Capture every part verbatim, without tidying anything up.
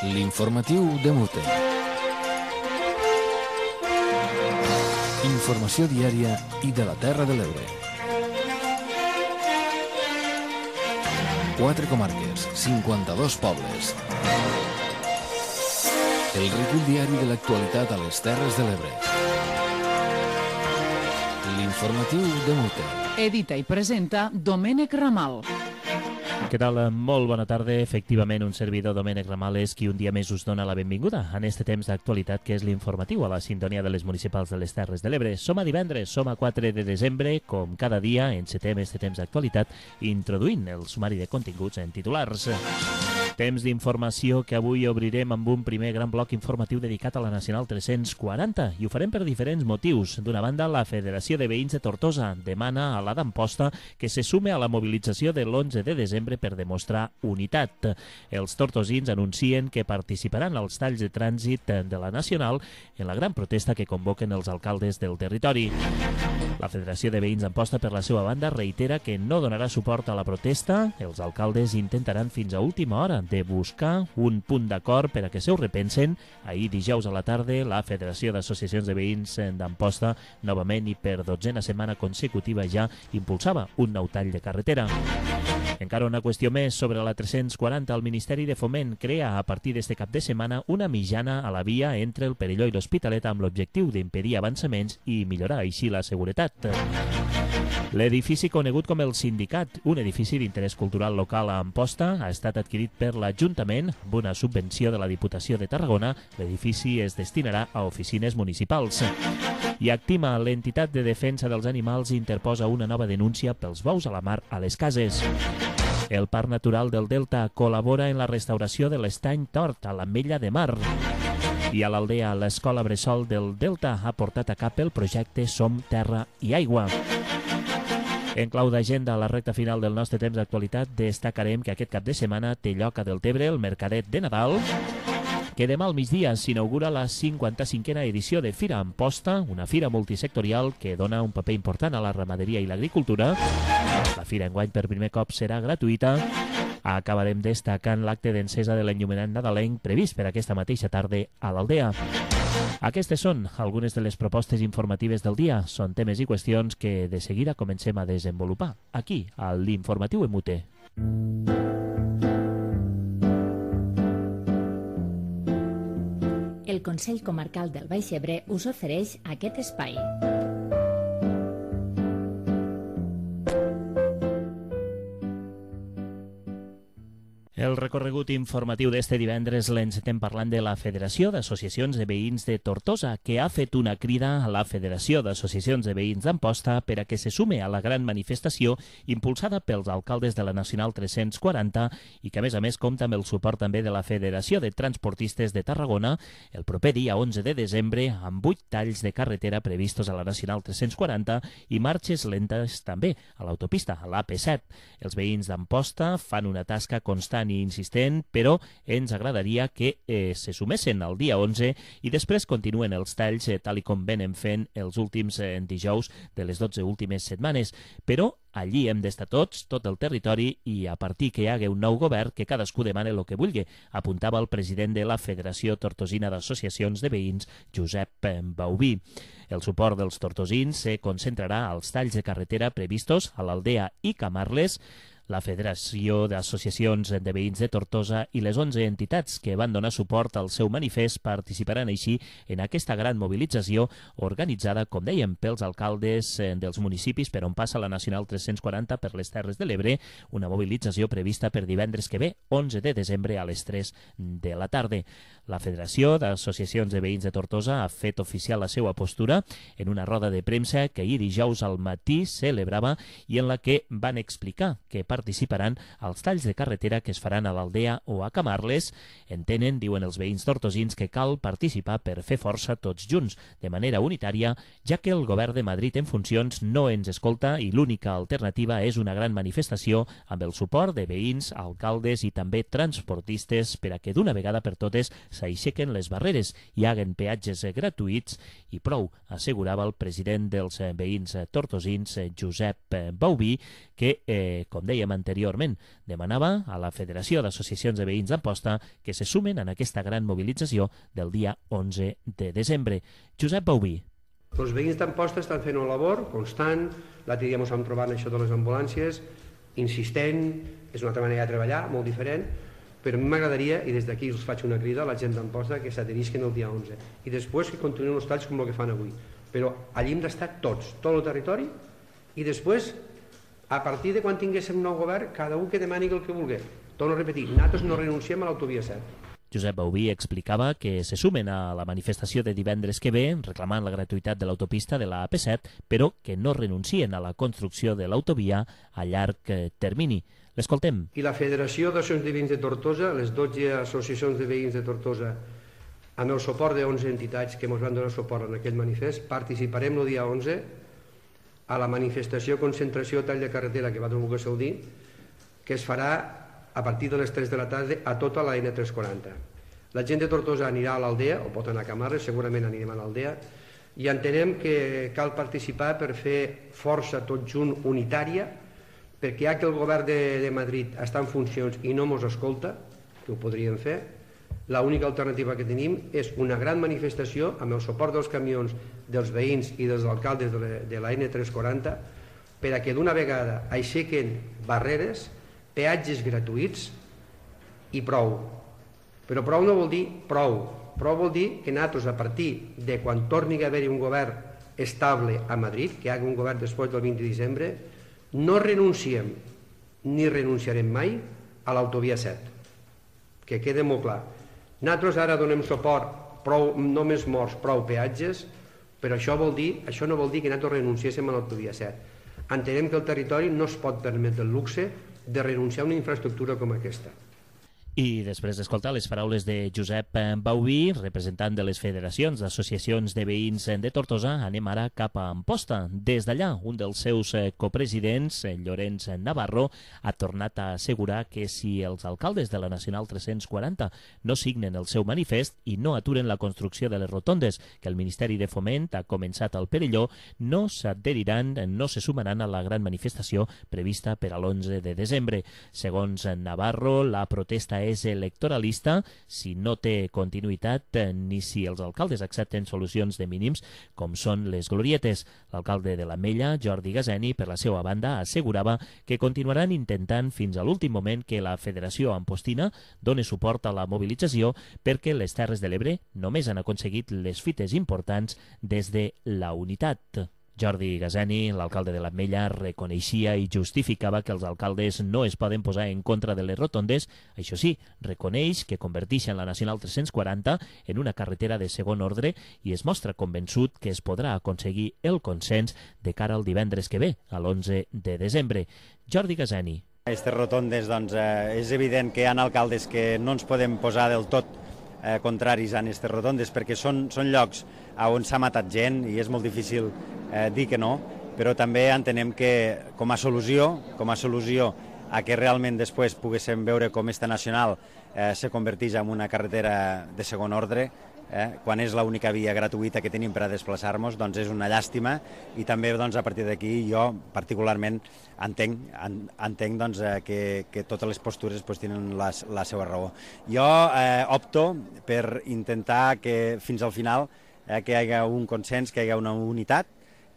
L'informatiu de Mute. Informació diària i de la Terra de l'Ebre. Quatre comarques, cinquanta-dos pobles. El recull diari de l'actualitat a les Terres de l'Ebre. L'informatiu de Mute. Edita i presenta Domènec Ramal. Què tal? Molt bona tarda. Efectivament, un servidor, Domènec Ramal, és qui un dia més us dona la benvinguda en este temps d'actualitat que és l'informatiu a la sintonia de les municipals de les Terres de l'Ebre. Som a divendres, som a quatre de desembre, com cada dia encetem este temps d'actualitat introduint el sumari de continguts en titulars. Temps d'informació que avui obrirem amb un primer gran bloc informatiu dedicat a la Nacional tres-cents quaranta i ho farem per diferents motius. D'una banda, la Federació de Veïns de Tortosa demana a la d'Amposta que se sume a la mobilització de l'onze de desembre per demostrar unitat. Els tortosins anuncien que participaran als talls de trànsit de la Nacional en la gran protesta que convoquen els alcaldes del territori. La Federació de Veïns d'Amposta, per la seva banda, reitera que no donarà suport a la protesta. Els alcaldes intentaran fins a última hora de buscar un punt d'acord per a que se ho repensen. Ahir, dijous a la tarda, la Federació d'Associacions de Veïns d'Amposta, novament i per dotzena setmana consecutiva ja, impulsava un nou tall de carretera. Encara una qüestió més sobre la tres-cents quaranta. El Ministeri de Foment crea a partir d'este cap de setmana una mitjana a la via entre el Perelló i l'Hospitalet amb l'objectiu d'impedir avançaments i millorar així la seguretat. L'edifici conegut com el Sindicat, un edifici d'interès cultural local a Amposta, ha estat adquirit per l'Ajuntament amb una subvenció de la Diputació de Tarragona. L'edifici es destinarà a oficines municipals. I Actima, l'entitat de defensa dels animals, interposa una nova denúncia pels bous a la mar a les cases. El Parc Natural del Delta col·labora en la restauració de l'estany Tort a l'Ametlla de Mar. I a l'Aldea, l'Escola Bressol del Delta ha portat a cap el projecte Som Terra i Aigua. En clau d'agenda, a la recta final del nostre temps d'actualitat, destacarem que aquest cap de setmana té lloc a Deltebre el Mercadet de Nadal, que demà al migdia s'inaugura la cinquanta-cinquena edició de Fira Amposta, una fira multisectorial que dona un paper important a la ramaderia i l'agricultura. La fira enguany per primer cop serà gratuïta. Acabarem destacant l'acte d'encesa de l'enllumenat nadalenc previst per aquesta mateixa tarda a l'Aldea. Aquestes són algunes de les propostes informatives del dia. Són temes i qüestions que de seguida comencem a desenvolupar aquí, a l'Informatiu en Mute. El Consell Comarcal del Baix Ebre us ofereix aquest espai. El recorregut informatiu d'este divendres l'encetem parlant de la Federació d'Associacions de Veïns de Tortosa, que ha fet una crida a la Federació d'Associacions de Veïns d'Amposta per a que se sume a la gran manifestació impulsada pels alcaldes de la Nacional tres-cents quaranta i que, a més a més, compta amb el suport també de la Federació de Transportistes de Tarragona el proper dia onze de desembre amb vuit talls de carretera previstos a la Nacional tres-cents quaranta i marxes lentes també a l'autopista, a l'A P set. Els veïns d'Amposta fan una tasca constant i insistent, però ens agradaria que eh, se sumessin el dia onze i després continuen els talls eh, tal i com venen fent els últims eh, dijous de les dotze últimes setmanes. Però allí hem d'estar tots, tot el territori, i a partir que hi hagi un nou govern que cadascú demane el que vulgui, apuntava el president de la Federació Tortosina d'Associacions de Veïns, Josep Baubí. El suport dels tortosins se concentrarà als talls de carretera previstos a l'Aldea i Camarles. La Federació d'Associacions de Veïns de Tortosa i les onze entitats que van donar suport al seu manifest participaran així en aquesta gran mobilització organitzada, com dèiem, pels alcaldes dels municipis per on passa la Nacional tres-cents quaranta per les Terres de l'Ebre, una mobilització prevista per divendres que ve, onze de desembre a les tres de la tarda. La Federació d'Associacions de Veïns de Tortosa ha fet oficial la seva postura en una roda de premsa que ahir dijous al matí celebrava i en la que van explicar que participaran als talls de carretera que es faran a l'Aldea o a Camarles. Entenen, diuen els veïns tortosins, que cal participar per fer força tots junts, de manera unitària, ja que el govern de Madrid en funcions no ens escolta i l'única alternativa és una gran manifestació amb el suport de veïns, alcaldes i també transportistes per a que d'una vegada per totes s'aixequen les barreres, hi haguen peatges gratuïts i prou, assegurava el president dels veïns tortosins, Josep Baubí, que, eh, com dèiem anteriorment, demanava a la Federació d'Associacions de Veïns d'Amposta que se sumen en aquesta gran mobilització del dia onze de desembre. Josep Bauví. Els veïns d'Amposta estan fent una labor constant, l'altre dia ens vam trobar això de les ambulàncies, insistent, és una altra manera de treballar, molt diferent, però a mi m'agradaria, i des d'aquí us faig una crida a la gent d'Amposta, que s'adherisquen el dia onze, i després que continuïn els talls com el que fan avui. Però allí hem d'estar tots, tot el territori, i després, a partir de quan tinguéssim nou govern, cada un que demani el que vulgui. Torno a repetir, nosaltres no renunciem a l'autovia set. Josep Bauví explicava que se sumen a la manifestació de divendres que ve reclamant la gratuïtat de l'autopista de la A P set, però que no renuncien a la construcció de l'autovia a llarg termini. L'escoltem. I la Federació d'Associacions de Veïns de Tortosa, les dotze associacions de veïns de Tortosa, amb el suport d'onze entitats que ens van donar suport en aquest manifest, participarem el dia onze a la manifestació concentració tall de carretera que va trobar que dir, que es farà a partir de les tres de la tarda a tota la N tres quaranta. La gent de Tortosa anirà a l'Aldea, o pot anar a Camarles, segurament anirem a l'Aldea, i entenem que cal participar per fer força tot junt unitària, perquè ja que el govern de, de Madrid està en funcions i no mos escolta, que ho podríem fer, l'única alternativa que tenim és una gran manifestació amb el suport dels camions, dels veïns i dels alcaldes de la, de la N tres quaranta per a que d'una vegada aixequen barreres, peatges gratuïts i prou. Però prou no vol dir prou. Prou vol dir que nosaltres, a partir de quan torni a haver-hi un govern estable a Madrid, que hi hagi un govern després del vint de desembre, no renunciem ni renunciarem mai a l'autovia set. Que quede molt clar. Nosaltres ara donem suport, prou, només morts, prou peatges, però això, vol dir, això no vol dir que nosaltres renunciéssim a l'autovia set. Entenem que el territori no es pot permetre el luxe de renunciar a una infraestructura com aquesta. I després d'escoltar les paraules de Josep Bauví, representant de les federacions d'associacions de veïns de Tortosa, anem ara cap a Amposta. Des d'allà, un dels seus copresidents, Llorenç Navarro, ha tornat a assegurar que si els alcaldes de la Nacional tres-cents quaranta no signen el seu manifest i no aturen la construcció de les rotondes que el Ministeri de Foment ha començat al Perelló, no s'adheriran, no se sumaran a la gran manifestació prevista per a l'onze de desembre. Segons Navarro, la protesta és electoralista si no té continuïtat ni si els alcaldes accepten solucions de mínims com són les glorietes. L'alcalde de l'Ametlla, Jordi Gazeni, per la seva banda, assegurava que continuaran intentant fins a l'últim moment que la Federació Ampostina doni suport a la mobilització perquè les Terres de l'Ebre només han aconseguit les fites importants des de la unitat. Jordi Gazeni, l'alcalde de l'Ametlla, reconeixia i justificava que els alcaldes no es poden posar en contra de les rotondes. Això sí, reconeix que converteixen la Nacional tres-cents quaranta en una carretera de segon ordre i es mostra convençut que es podrà aconseguir el consens de cara al divendres que ve, a l'onze de desembre. Jordi Gazeni. Aquestes rotondes, doncs, eh, és evident que hi ha alcaldes que no ens podem posar del tot eh, contraris a aquestes rotondes perquè són, són llocs on s'ha matat gent i és molt difícil eh, dir que no, però també entenem que com a solució, com a solució a que realment després poguéssim veure com esta nacional eh, se converteix en una carretera de segon ordre, eh, quan és l'única via gratuïta que tenim per a desplaçar-nos, doncs és una llàstima i també doncs, a partir d'aquí jo particularment entenc, en, entenc doncs, eh, que, que totes les postures pues, tenen la, la seva raó. Jo eh, opto per intentar que fins al final eh, que hi hagi un consens, que hi hagi una unitat,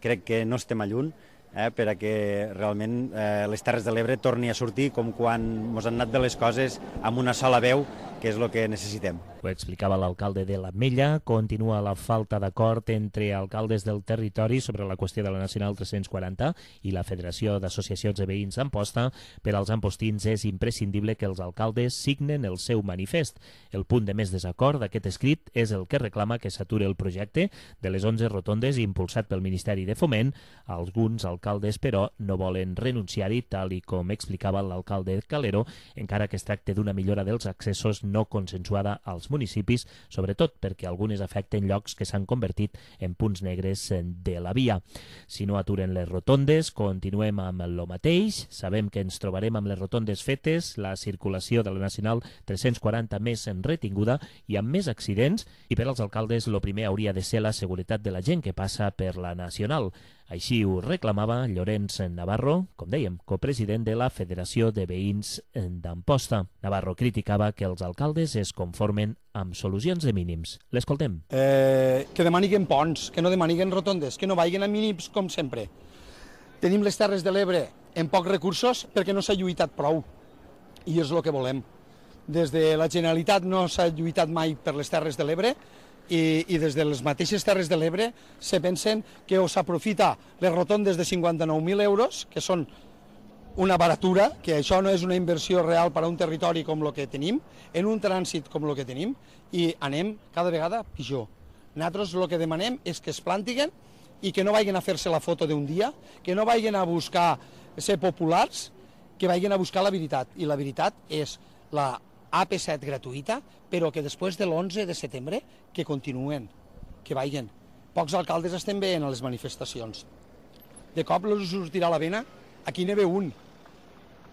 crec que no estem a lluny, eh, per a que realment eh, les Terres de l'Ebre torni a sortir com quan ens han anat de les coses amb una sola veu, que és el que necessitem. Ho explicava l'alcalde de l'Ametlla. Continua la falta d'acord entre alcaldes del territori sobre la qüestió de la Nacional tres-cents quaranta i la Federació d'Associacions de Veïns d'Amposta. Per als ampostins és imprescindible que els alcaldes signen el seu manifest. El punt de més desacord d'aquest escrit és el que reclama que s'aturi el projecte de les onze rotondes impulsat pel Ministeri de Foment. Alguns alcaldes, però, no volen renunciar-hi, tal i com explicava l'alcalde Calero, encara que es tracta d'una millora dels accessos no consensuada als municipis, sobretot perquè algunes afecten llocs que s'han convertit en punts negres de la via. Si no aturen les rotondes, continuem amb el mateix. Sabem que ens trobarem amb les rotondes fetes, la circulació de la Nacional tres-cents quaranta més retinguda i amb més accidents, i per als alcaldes el primer hauria de ser la seguretat de la gent que passa per la Nacional. Així ho reclamava Llorenç Navarro, com dèiem, copresident de la Federació de Veïns d'Amposta. Navarro criticava que els alcaldes es conformen amb solucions de mínims. L'escoltem. Eh, que demaniguen ponts, que no demaniguen rotondes, que no vagin a mínims com sempre. Tenim les Terres de l'Ebre amb pocs recursos perquè no s'ha lluitat prou, i és el que volem. Des de la Generalitat no s'ha lluitat mai per les Terres de l'Ebre i, i des de les mateixes Terres de l'Ebre se pensen que o s'aprofita les rotondes de cinquanta-nou mil euros, que són una baratura, que això no és una inversió real per a un territori com el que tenim, en un trànsit com el que tenim, i anem cada vegada pitjor. Nosaltres el que demanem és que es plantiguen i que no vagin a fer-se la foto d'un dia, que no vagin a buscar ser populars, que vagin a buscar la veritat. I la veritat és la A P set gratuïta, però que després de l'onze de setembre que continuen, que vagin. Pocs alcaldes estem veient a les manifestacions. De cop els sortirà la vena, aquí n'hi ve un.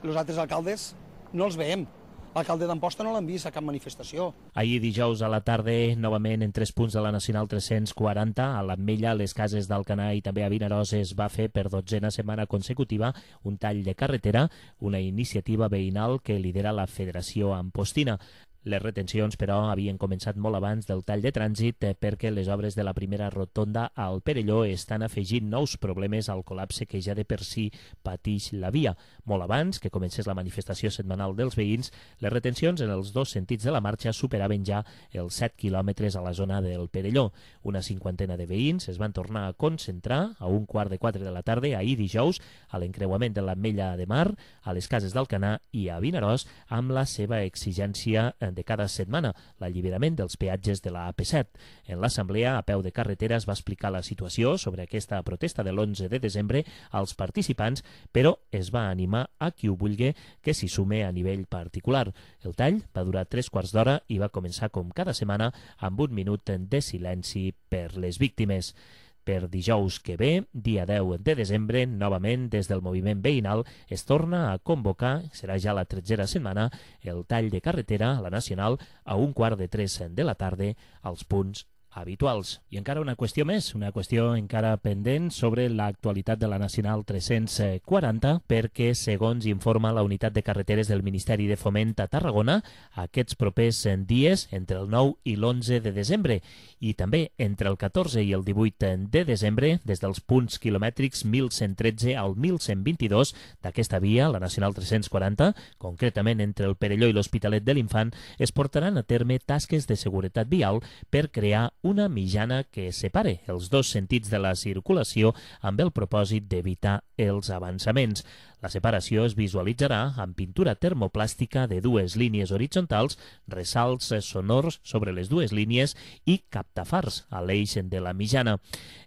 Els altres alcaldes no els veiem. L'alcalde d'Amposta no l'han vist a cap manifestació. Ahir dijous a la tarda, novament en tres punts de la Nacional tres-cents quaranta, a l'Ametlla, a les Cases d'Alcanar i també a Vinaròs es va fer per dotzena setmana consecutiva un tall de carretera, una iniciativa veïnal que lidera la Federació Ampostina. Les retencions, però, havien començat molt abans del tall de trànsit perquè les obres de la primera rotonda al Perelló estan afegint nous problemes al col·lapse que ja de per si patix la via. Molt abans que comencés la manifestació setmanal dels veïns, les retencions en els dos sentits de la marxa superaven ja els set quilòmetres a la zona del Perelló. Una cinquantena de veïns es van tornar a concentrar a un quart de quatre de la tarda ahir dijous a l'encreuament de l'Ametlla de Mar, a les Cases d'Alcanar i a Vinaròs amb la seva exigència de cada setmana, l'alliberament dels peatges de la A P set. En l'assemblea, a peu de carretera, es va explicar la situació sobre aquesta protesta de l'onze de desembre als participants, però es va animar a qui ho vulgui que s'hi sume a nivell particular. El tall va durar tres quarts d'hora i va començar com cada setmana amb un minut de silenci per les víctimes. Per dijous que ve, dia deu de desembre, novament des del moviment veïnal es torna a convocar, serà ja la tretzena setmana, el tall de carretera a la Nacional a un quart de tres de la tarda als punts habituals. I encara una qüestió més, una qüestió encara pendent sobre l'actualitat de la Nacional tres-cents quaranta, perquè, segons informa la Unitat de Carreteres del Ministeri de Foment a Tarragona, aquests propers dies, entre el nou i l'onze de desembre, i també entre el catorze i el divuit de desembre, des dels punts quilomètrics mil cent tretze al mil cent vint-i-dos d'aquesta via, la Nacional tres-cents quaranta, concretament entre el Perelló i l'Hospitalet de l'Infant, es portaran a terme tasques de seguretat vial per crear una mitjana que separe els dos sentits de la circulació amb el propòsit d'evitar els avançaments. La separació es visualitzarà amb pintura termoplàstica de dues línies horitzontals, ressalts sonors sobre les dues línies i captafars a l'eix de la mitjana.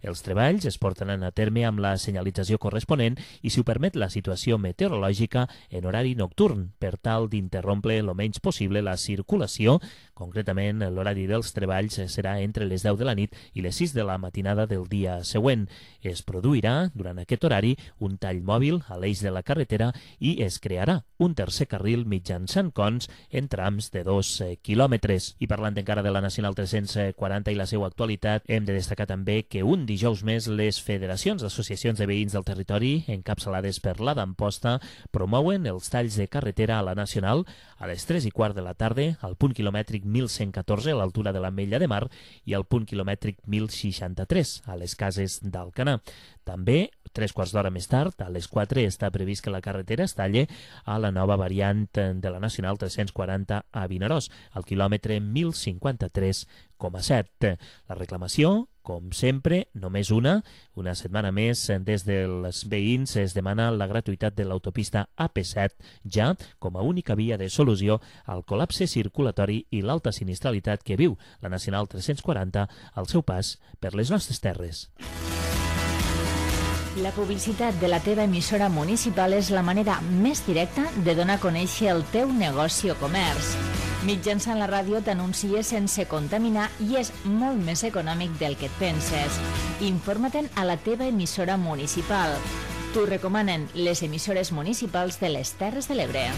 Els treballs es portaran a terme amb la senyalització corresponent i, si ho permet la situació meteorològica, en horari nocturn, per tal d'interrompre el menys possible la circulació. Concretament, l'horari dels treballs serà entre les deu de la nit i les sis de la matinada del dia següent. Es produirà, durant aquest horari, un tall mòbil a l'eix de la carretera i es crearà un tercer carril mitjançant cons en trams de dos quilòmetres. I parlant encara de la Nacional tres-cents quaranta i la seva actualitat, hem de destacar també que un dijous més les federacions d'associacions de veïns del territori, encapçalades per la d'Amposta, promouen els talls de carretera a la Nacional a les tres i quart de la tarda, al punt quilomètric mil cent catorze a l'altura de l'Ametlla de Mar i al punt quilomètric mil seixanta-tres a les Cases d'Alcanar. També, tres quarts d'hora més tard, a les quatre, està previst que la carretera es talle a la nova variant de la Nacional tres-cents quaranta a Vinaròs, al quilòmetre mil cinquanta-tres coma set. La reclamació, com sempre, només una. Una setmana més, des dels veïns es demana la gratuïtat de l'autopista A P set ja com a única via de solució al col·lapse circulatori i l'alta sinistralitat que viu la Nacional tres-cents quaranta al seu pas per les nostres terres. La publicitat de la teva emissora municipal és la manera més directa de donar a conèixer el teu negoci o comerç. Mitjançant la ràdio t'anuncies sense contaminar i és molt més econòmic del que et penses. Informa-te'n a la teva emissora municipal. T'ho recomanen les emissores municipals de les Terres de l'Ebre.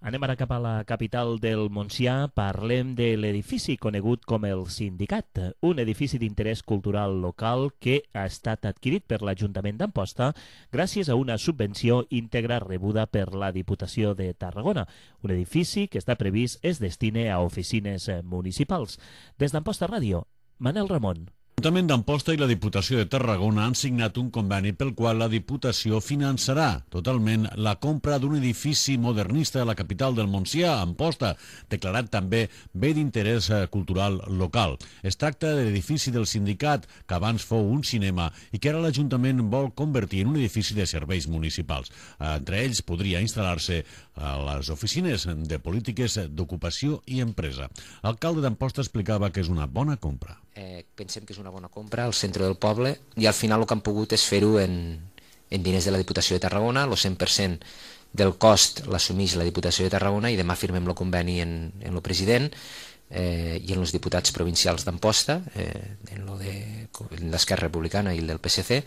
Anem ara cap a la capital del Montsià. Parlem de l'edifici conegut com el Sindicat, un edifici d'interès cultural local que ha estat adquirit per l'Ajuntament d'Amposta gràcies a una subvenció íntegra rebuda per la Diputació de Tarragona. Un edifici que està previst es destine a oficines municipals. Des d'Amposta Ràdio, Manel Ramon. L'Ajuntament d'Amposta i la Diputació de Tarragona han signat un conveni pel qual la Diputació finançarà totalment la compra d'un edifici modernista de la capital del Montsià, Amposta, declarat també bé d'interès cultural local. Es tracta de l'edifici del sindicat, que abans fou un cinema i que ara l'Ajuntament vol convertir en un edifici de serveis municipals. Entre ells podria instal·lar-se a les oficines de polítiques d'ocupació i empresa. L'alcalde d'Amposta explicava que és una bona compra. Eh, pensem que és una bona compra al centre del poble i al final el que han pogut és fer-ho en, en diners de la Diputació de Tarragona. El cent per cent del cost l'assumeix la Diputació de Tarragona i demà firmem el conveni en, en el president eh, i en els diputats provincials d'Amposta, eh, en lo de l'Esquerra Republicana i el del P S C,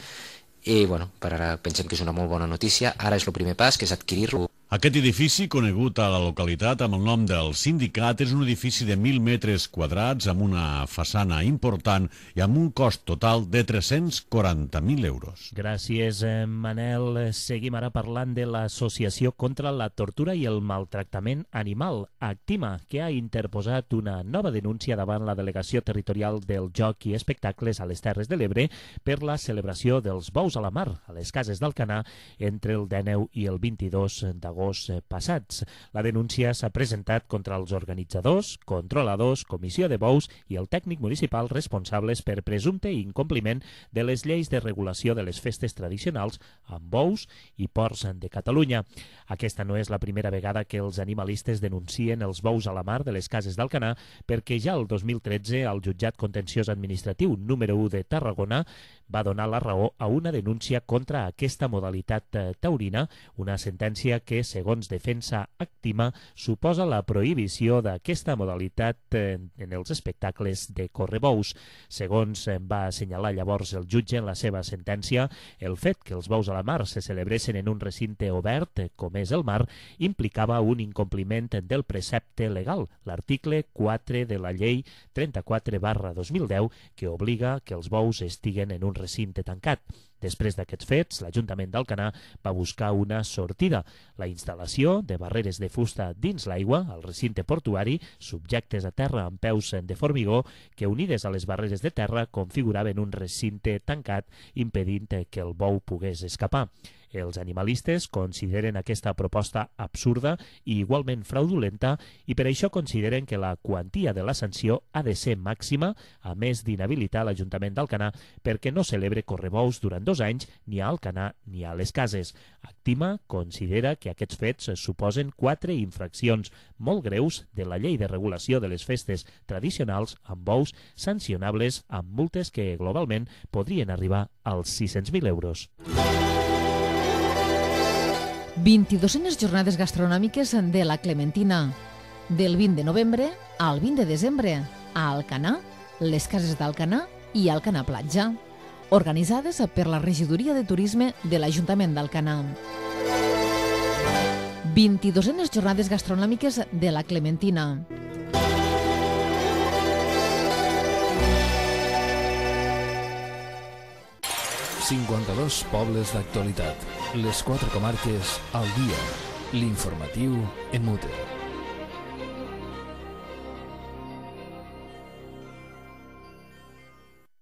i bueno, per ara pensem que és una molt bona notícia. Ara és el primer pas, que és adquirir-lo. Aquest edifici, conegut a la localitat amb el nom del Sindicat, és un edifici de mil metres quadrats amb una façana important i amb un cost total de tres-cents quaranta mil euros. Gràcies, Manel. Seguim ara parlant de l'Associació contra la Tortura i el Maltractament Animal, Actima, que ha interposat una nova denúncia davant la Delegació Territorial del Joc i Espectacles a les Terres de l'Ebre per la celebració dels bous a la mar a les cases d'Alcanar entre el dinou i el vint-i-dos d'agost passats. La denúncia s'ha presentat contra els organitzadors, controladors, comissió de bous i el tècnic municipal responsables per presumpte incompliment de les lleis de regulació de les festes tradicionals amb bous i porcs de Catalunya. Aquesta no és la primera vegada que els animalistes denuncien els bous a la mar de les cases d'Alcanar, perquè ja el dos mil tretze el Jutjat Contenciós Administratiu número u de Tarragona va donar la raó a una denúncia contra aquesta modalitat taurina, una sentència que, segons Defensa Actima, suposa la prohibició d'aquesta modalitat en els espectacles de correbous. Segons va assenyalar llavors el jutge en la seva sentència, el fet que els bous a la mar se celebressin en un recinte obert, com és el mar, implicava un incompliment del precepte legal, l'article quatre de la llei trenta-quatre barra dos mil deu, que obliga que els bous estiguen en un recinte tancat. Després d'aquests fets, l'Ajuntament d'Alcanar va buscar una sortida, la instal·lació de barreres de fusta dins l'aigua, al recinte portuari, subjectes a terra amb peus de formigó, que unides a les barreres de terra configuraven un recinte tancat, impedint que el bou pogués escapar. Els animalistes consideren aquesta proposta absurda i igualment fraudulenta i per això consideren que la quantia de la sanció ha de ser màxima, a més d'inhabilitar l'Ajuntament d'Alcanar perquè no celebre correbous durant dos anys ni a Alcanar ni a les cases. Actima considera que aquests fets suposen quatre infraccions molt greus de la llei de regulació de les festes tradicionals amb bous, sancionables amb multes que globalment podrien arribar als sis-cents mil euros. vint-i-duenes jornades gastronòmiques de la Clementina, del vint de novembre al vint de desembre, a Alcanar, les cases d'Alcanar i Alcanar Platja, organitzades per la Regidoria de Turisme de l'Ajuntament d'Alcanar. vint-i-duenes jornades gastronòmiques de la Clementina. cinquanta-dos pobles d'actualitat. Les quatre comarques al dia. L'informatiu en mute.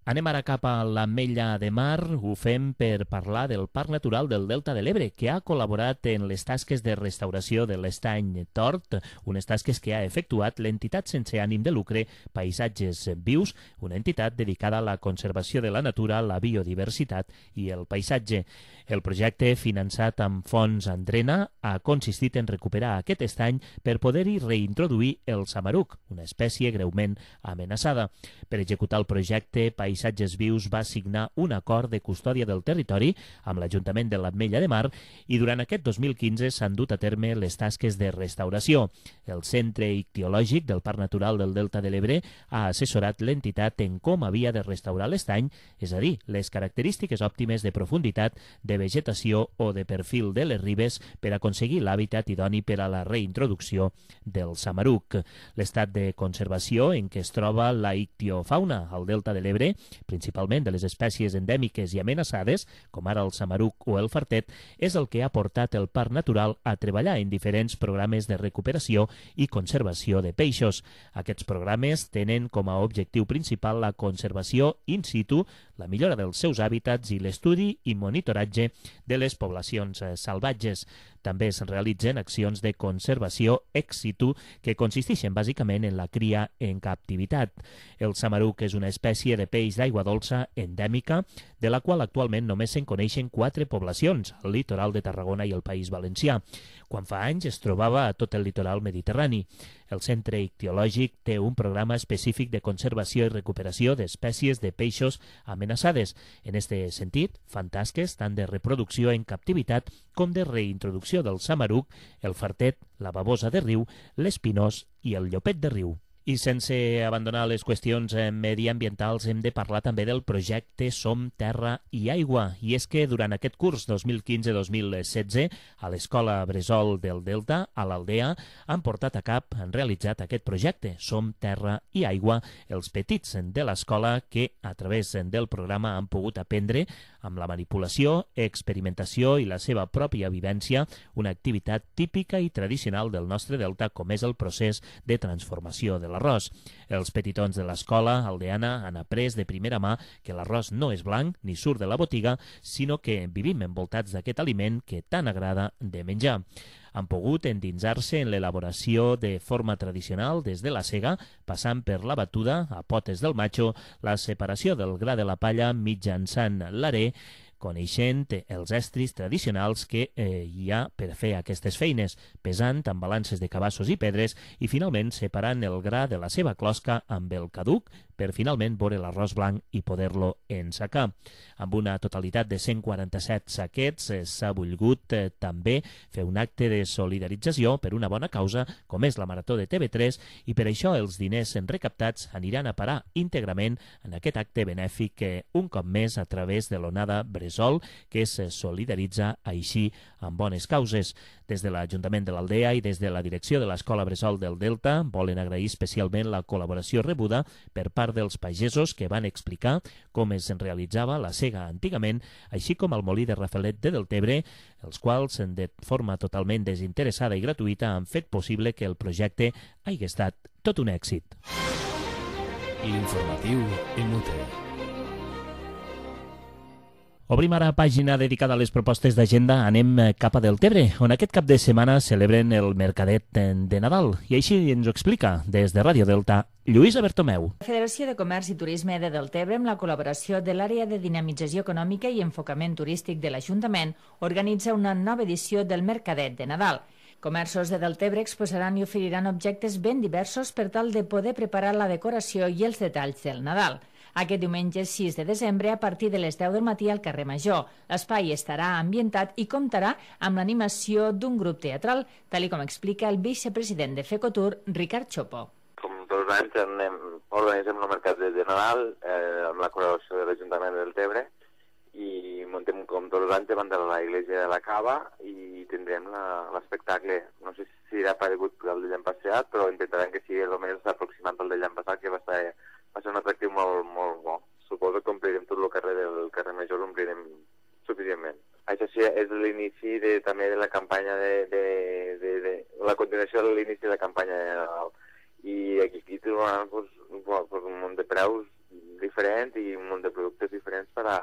Anem ara cap a l'Ametlla de Mar. Ho fem per parlar del Parc Natural del Delta de l'Ebre, que ha col·laborat en les tasques de restauració de l'estany Tort, unes tasques que ha efectuat l'entitat sense ànim de lucre Paisatges Vius, una entitat dedicada a la conservació de la natura, la biodiversitat i el paisatge. El projecte, finançat amb fons Andrena, ha consistit en recuperar aquest estany per poder-hi reintroduir el samaruc, una espècie greument amenaçada. Per executar el projecte, Paisatges Vius va signar un acord de custòdia del territori amb l'Ajuntament de l'Ametlla de Mar i durant aquest dos mil quinze s'han dut a terme les tasques de restauració. El Centre Ictiològic del Parc Natural del Delta de l'Ebre ha assessorat l'entitat en com havia de restaurar l'estany, és a dir, les característiques òptimes de profunditat de de vegetació o de perfil de les ribes per aconseguir l'hàbitat idoni per a la reintroducció del samaruc. L'estat de conservació en què es troba la ictiofauna al delta de l'Ebre, principalment de les espècies endèmiques i amenaçades, com ara el samaruc o el fartet, és el que ha portat el Parc Natural a treballar en diferents programes de recuperació i conservació de peixos. Aquests programes tenen com a objectiu principal la conservació in situ, la millora dels seus hàbitats i l'estudi i monitoratge de les poblacions salvatges. També es realitzen accions de conservació ex situ que consisteixen bàsicament en la cria en captivitat. El samaruc és una espècie de peix d'aigua dolça endèmica, de la qual actualment només se'n coneixen quatre poblacions, al litoral de Tarragona i el País Valencià, quan fa anys es trobava a tot el litoral mediterrani. El Centre Ictiològic té un programa específic de conservació i recuperació d'espècies de peixos amenaçades. En aquest sentit, fan tasques tant de reproducció en captivitat com de reintroducció del samaruc, el fartet, la babosa de riu, l'espinós i el llopet de riu. I sense abandonar les qüestions mediambientals hem de parlar també del projecte Som Terra i Aigua. I és que durant aquest curs dos mil quinze dos mil setze a l'Escola Bressol del Delta, a l'Aldea, han portat a cap, han realitzat aquest projecte Som Terra i Aigua, els petits de l'escola que a través del programa han pogut aprendre amb la manipulació, experimentació i la seva pròpia vivència una activitat típica i tradicional del nostre delta com és el procés de transformació de l'arròs. Els petitons de l'escola aldeana han après de primera mà que l'arròs no és blanc ni surt de la botiga, sinó que vivim envoltats d'aquest aliment que tant agrada de menjar. Han pogut endinsar-se en l'elaboració de forma tradicional des de la sega, passant per la batuda a potes del matxo, la separació del gra de la palla mitjançant l'arè, coneixent els estris tradicionals que eh, hi ha per fer aquestes feines, pesant amb balances de cabassos i pedres i finalment separant el gra de la seva closca amb el caduc per finalment veure l'arròs blanc i poder-lo ensacar. Amb una totalitat de cent quaranta-set saquets eh, s'ha volgut eh, també fer un acte de solidarització per una bona causa com és la Marató de T V tres i per això els diners recaptats aniran a parar íntegrament en aquest acte benèfic que un cop més a través de l'Onada Bressol que es solidaritza així amb bones causes. Des de l'Ajuntament de l'Aldea i des de la direcció de l'Escola Bressol del Delta volen agrair especialment la col·laboració rebuda per part dels pagesos que van explicar com es realitzava la sega antigament, així com el molí de Rafelet de Deltebre, els quals de forma totalment desinteressada i gratuïta han fet possible que el projecte hagi estat tot un èxit. L'informatiu Inútil. Obrim ara pàgina dedicada a les propostes d'agenda. Anem cap a Deltebre, on aquest cap de setmana celebren el Mercadet de Nadal. I així ens ho explica, des de Ràdio Delta, Lluïsa Bertomeu. La Federació de Comerç i Turisme de Deltebre, amb la col·laboració de l'Àrea de Dinamització Econòmica i Enfocament Turístic de l'Ajuntament, organitza una nova edició del Mercadet de Nadal. Comerços de Deltebre exposaran i oferiran objectes ben diversos per tal de poder preparar la decoració i els detalls del Nadal. Aquest diumenge sis de desembre, a partir de les deu del matí al carrer Major. L'espai estarà ambientat i comptarà amb l'animació d'un grup teatral, tal com explica el vicepresident de FECOTUR, Ricard Chopo. Com tots els anys anem, organitzem el mercat de Nadal eh, amb la col·laboració de l'Ajuntament de Deltebre i muntem com tots els anys davant de la Iglesia de la Cava i tindrem l'espectacle. No sé si serà paregut al de l'any passat, però intentarem que sigui el més aproximat al de l'any passat, que va ser, va ser un atractiu molt, molt bo. Suposo que omplirem tot el carrer del carrer Major, l'omplirem suficientment. Això sí, és l'inici de, també de la campanya de, de, de, de la continuació de l'inici de la campanya de Nadal. I aquí, aquí trobaran pues, pues, un munt de preus diferents i un munt de productes diferents per a,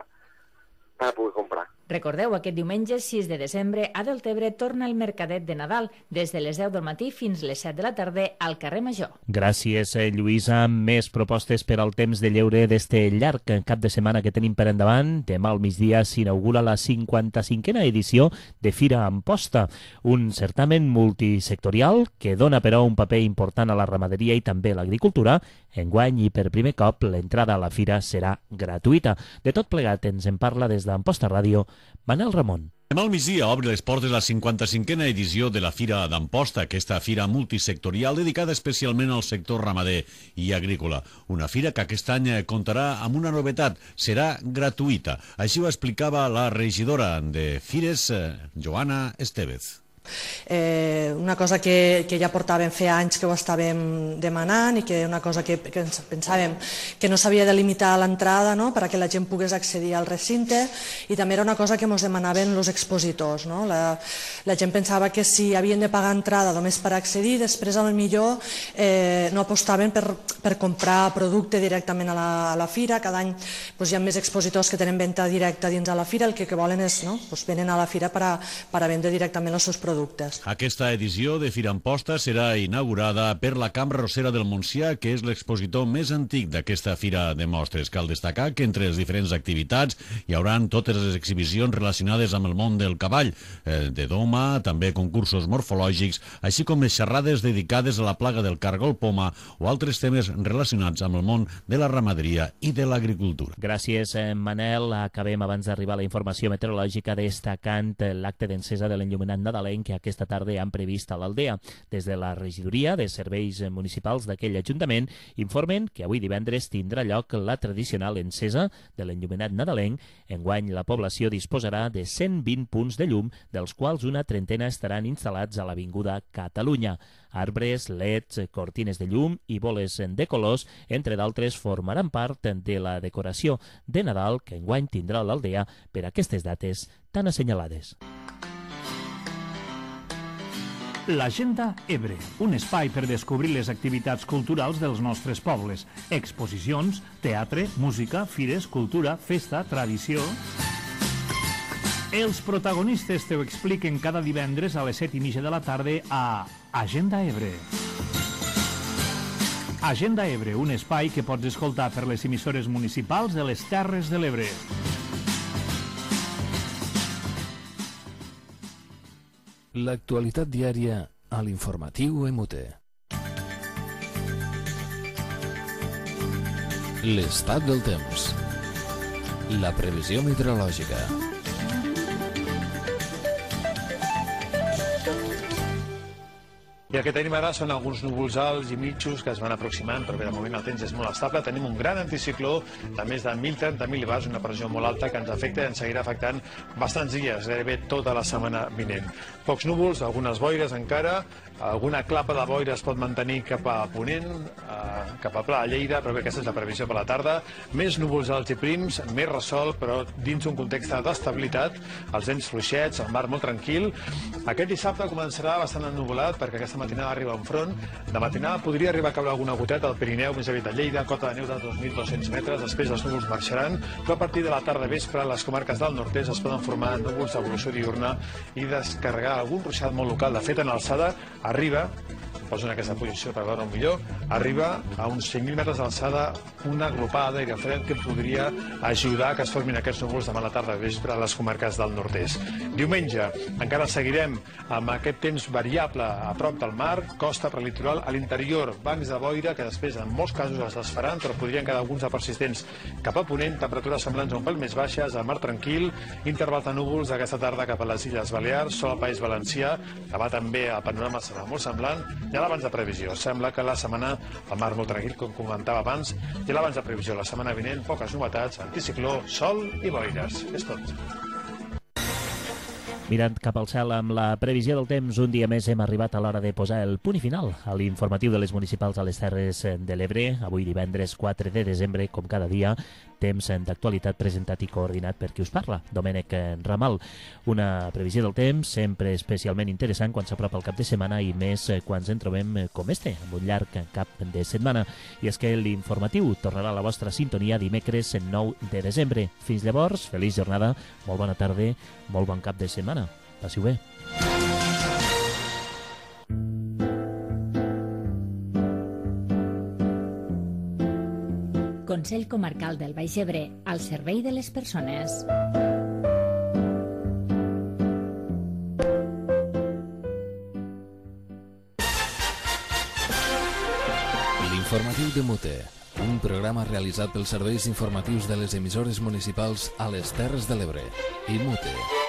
per a poder comprar. Recordeu, aquest diumenge sis de desembre a Deltebre torna el Mercadet de Nadal des de les deu del matí fins les set de la tarda al carrer Major. Gràcies, Lluïsa. Més propostes per al temps de lleure d'este llarg cap de setmana que tenim per endavant. Demà al migdia s'inaugura la cinquanta-cinquena edició de Fira Amposta, un certamen multisectorial que dona però un paper important a la ramaderia i també a l'agricultura. Enguany i per primer cop l'entrada a la fira serà gratuïta. De tot plegat ens en parla des d'Amposta Ràdio Manel Ramon. Demà al migdia obre les portes la cinquanta-cinquena edició de la Fira d'Amposta, aquesta fira multisectorial dedicada especialment al sector ramader i agrícola. Una fira que aquest any comptarà amb una novetat, serà gratuïta. Així ho explicava la regidora de Fires, Joana Estevez. Eh, una cosa que, que ja portàvem fer anys que ho estàvem demanant i que una cosa que, que pensàvem que no s'havia de limitar l'entrada, no?, perquè la gent pogués accedir al recinte, i també era una cosa que ens demanaven els expositors, no? La, la gent pensava que si havien de pagar entrada només per accedir, després a lo millor eh, no apostaven per, per comprar producte directament a la, a la fira. Cada any doncs, hi ha més expositors que tenen venda directa dins a la fira, el que, que volen és, no?, doncs, venen a la fira per a, per a vendre directament els seus productes. Aquesta edició de Fira Amposta serà inaugurada per la Cambra Rossera del Montsià, que és l'expositor més antic d'aquesta fira de mostres. Cal destacar que entre les diferents activitats hi haurà totes les exhibicions relacionades amb el món del cavall, eh, de doma, també concursos morfològics, així com les xerrades dedicades a la plaga del cargol poma o altres temes relacionats amb el món de la ramaderia i de l'agricultura. Gràcies, Manel. Acabem abans d'arribar a la informació meteorològica destacant l'acte d'encesa de l'enllumenat nadalenc que aquesta tarda han previst a l'Aldea. Des de la regidoria de serveis municipals d'aquell ajuntament informen que avui divendres tindrà lloc la tradicional encesa de l'enllumenat nadalenc. Enguany la població disposarà de cent vint punts de llum, dels quals una trentena estaran instal·lats a l'Avinguda Catalunya. Arbres, leds, cortines de llum i boles de colors, entre d'altres, formaran part de la decoració de Nadal que enguany tindrà l'Aldea per aquestes dates tan assenyalades. L'Agenda Ebre, un espai per descobrir les activitats culturals dels nostres pobles. Exposicions, teatre, música, fires, cultura, festa, tradició... Els protagonistes te ho expliquen cada divendres a les set i mitja de la tarda a Agenda Ebre. Agenda Ebre, un espai que pots escoltar per les emissores municipals de les Terres de l'Ebre. L'actualitat diària a l'informatiu M U T. L'estat del temps. La previsió meteorològica. I el que tenim ara són alguns núvols alts i mitjos que es van aproximant, però bé, de moment el temps és molt estable. Tenim un gran anticicló de més de mil trenta mil·libars, una pressió molt alta que ens afecta i ens seguirà afectant bastants dies, gairebé tota la setmana vinent. Pocs núvols, algunes boires encara, alguna clapa de boira es pot mantenir cap a Ponent, eh, cap a Pla de Lleida, però bé, aquesta és la previsió per la tarda. Més núvols alts i prims, més ressol, però dins un context d'estabilitat, els vents fluixets, el mar molt tranquil. Aquest dissabte començarà bastant ennuvolat perquè aquesta matinada arriba un front. De matinada podria arribar a caure alguna goteta al Pirineu, més aviat a Lleida, cota de neu de dos mil dos-cents metres, després els núvols marxaran, però a partir de la tarda vespre les comarques del nord-est es poden formar núvols d'evolució diurna i descarregar algun ruixat molt local. De fet, en alçada arriba, em poso en aquesta posició per veure-ho millor, arriba a uns cinc mil metres d'alçada una glopada d'aire fred que podria ajudar a que es formin aquests núvols demà a la tarda vespre a les comarques del nord-est. Diumenge encara seguirem amb aquest temps variable a prop del mar, costa prelitoral, a l'interior bancs de boira que després en molts casos es desfaran, però podrien quedar alguns de persistents cap a Ponent, temperatures semblants a un pèl més baixes, el mar tranquil, interval de núvols aquesta tarda cap a les Illes Balears, sol al País Valencià, demà també el panorama serà molt semblant, i a l'abans de previsió. Sembla que la setmana el mar molt tranquil, com comentava abans, i a l'abans de previsió la setmana vinent, poques novetats, anticicló, sol i boires. És tot. Mirant cap al cel amb la previsió del temps, un dia més hem arribat a l'hora de posar el punt i final a l'informatiu de les municipals a les Terres de l'Ebre. Avui divendres quatre de desembre, com cada dia, temps d'actualitat presentat i coordinat per qui us parla, Domènec Ramal. Una previsió del temps sempre especialment interessant quan s'apropa el cap de setmana i més quan ens en trobem com este, amb un llarg cap de setmana. I és que l'informatiu tornarà a la vostra sintonia dimecres nou de desembre. Fins llavors, feliç jornada, molt bona tarda, molt bon cap de setmana. Passi-ho bé. Consell Comarcal del Baix Ebre, al servei de les persones. L'informatiu de M U T, un programa realitzat pels serveis informatius de les emissores municipals a les Terres de l'Ebre i M U T.